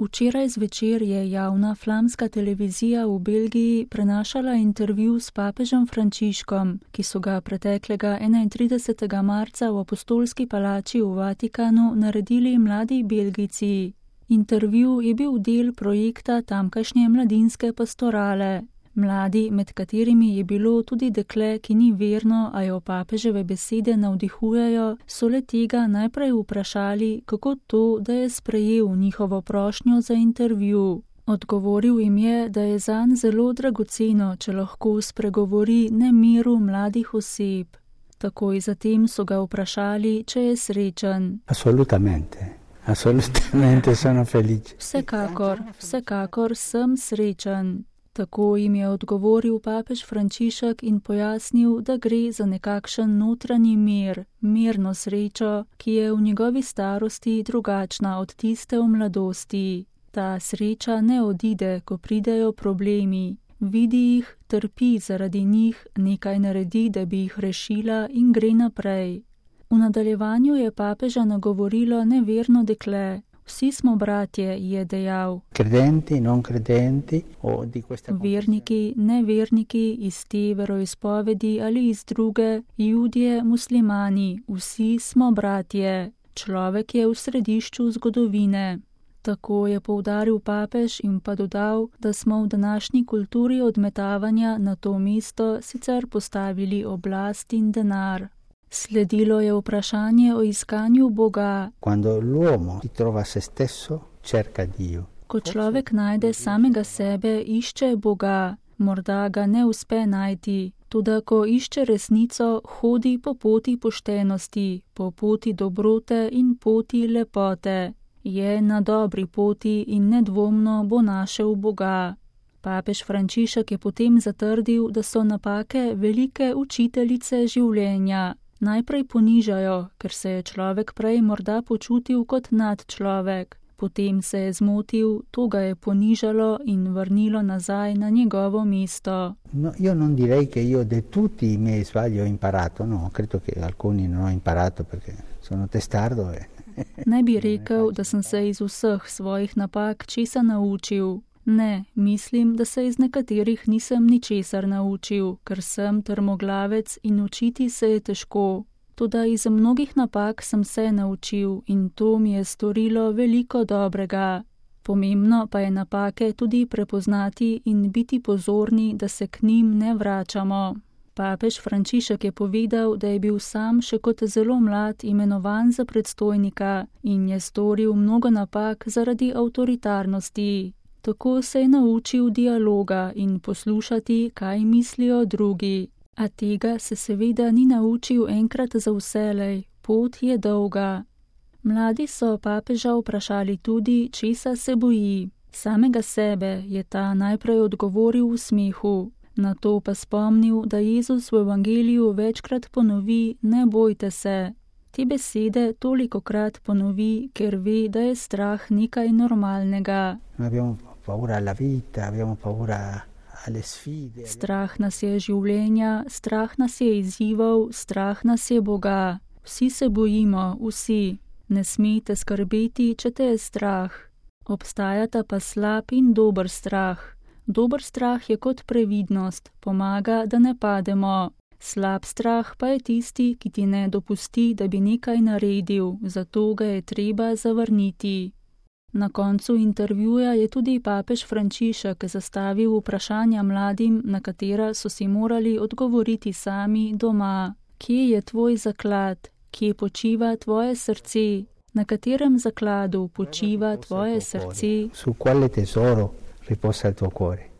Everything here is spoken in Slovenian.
Včeraj zvečer je javna flamska televizija v Belgiji prenašala intervju s papežem Frančiškom, ki so ga preteklega 31. marca v Apostolski palači v Vatikanu naredili mladi Belgijci. Intervju je bil del projekta tamkajšnje mladinske pastorale. Mladi, med katerimi je bilo tudi dekle, ki ni verno, a jo papeževe besede navdihujejo, so le tega najprej vprašali, kako to, da je sprejel njihovo prošnjo za intervju. Odgovoril jim je, da je zanj zelo dragoceno, če lahko spregovori nemiru mladih oseb. Takoj zatem so ga vprašali, če je srečen. Assolutamente sono felice. Vsekakor sem srečen. Tako jim je odgovoril papež Frančišek in pojasnil, da gre za nekakšen notranji mir, mirno srečo, ki je v njegovi starosti drugačna od tiste v mladosti. Ta sreča ne odide, ko pridejo problemi. Vidi jih, trpi zaradi njih, nekaj naredi, da bi jih rešila in gre naprej. V nadaljevanju je papeža nagovorilo neverno dekle. Vsi smo bratje, je dejal. Credenti, non credenti, Verniki, neverniki, iz te veroizpovedi ali iz druge, Judje, muslimani, vsi smo bratje. Človek je v središču zgodovine. Tako je poudaril papež in pa dodal, da smo v današnji kulturi odmetavanja na to mesto sicer postavili oblast in denar. Sledilo je vprašanje o iskanju Boga. Ko človek najde samega sebe, išče Boga. Morda ga ne uspe najti. Toda ko išče resnico, hodi po poti poštenosti, po poti dobrote in poti lepote. Je na dobri poti in nedvomno bo našel Boga. Papež Frančišek je potem zatrdil, da so napake velike učiteljice življenja. Najprej ponižajo, ker se je človek prej morda počutil kot nadčlovek. Potem se je zmotil, to ga je ponižalo in vrnilo nazaj na njegovo mesto. Io non direi che io de tutti i miei sbagli ho imparato, no, credo che alcuni non ho imparato perché sono testardo e... Ne bi rekel, da sem se iz vseh svojih napak česa naučil. Ne, mislim, da se iz nekaterih nisem ničesar naučil, ker sem trmoglavec in učiti se je težko. Toda iz mnogih napak sem se naučil in to mi je storilo veliko dobrega. Pomembno pa je napake tudi prepoznati in biti pozorni, da se k njim ne vračamo. Papež Frančišek je povedal, da je bil sam še kot zelo mlad imenovan za predstojnika in je storil mnogo napak zaradi avtoritarnosti. Tako se je naučil dialoga in poslušati, kaj mislijo drugi. A tega se seveda ni naučil enkrat za vselej, pot je dolga. Mladi so papeža vprašali tudi, česa se boji. Samega sebe je ta najprej odgovoril v smehu. Nato pa spomnil, da Jezus v evangeliju večkrat ponovi, ne bojte se. Te besede tolikokrat ponovi, ker ve, da je strah nekaj normalnega. Strah nas je življenja, strah nas je izzivov, strah nas je Boga. Vsi se bojimo, vsi. Ne smete skrbeti, če te je strah. Obstajata pa slab in dober strah. Dober strah je kot previdnost, pomaga, da ne pademo. Slab strah pa je tisti, ki ti ne dopusti, da bi nekaj naredil, zato ga je treba zavrniti. Na koncu intervjuja je tudi papež Frančišek zastavil vprašanja mladim, na katera so si morali odgovoriti sami doma. Kje je tvoj zaklad? Kje počiva tvoje srce? Na katerem zakladu počiva tvoje srce? Su quale tesoro riposa il tuo cuore?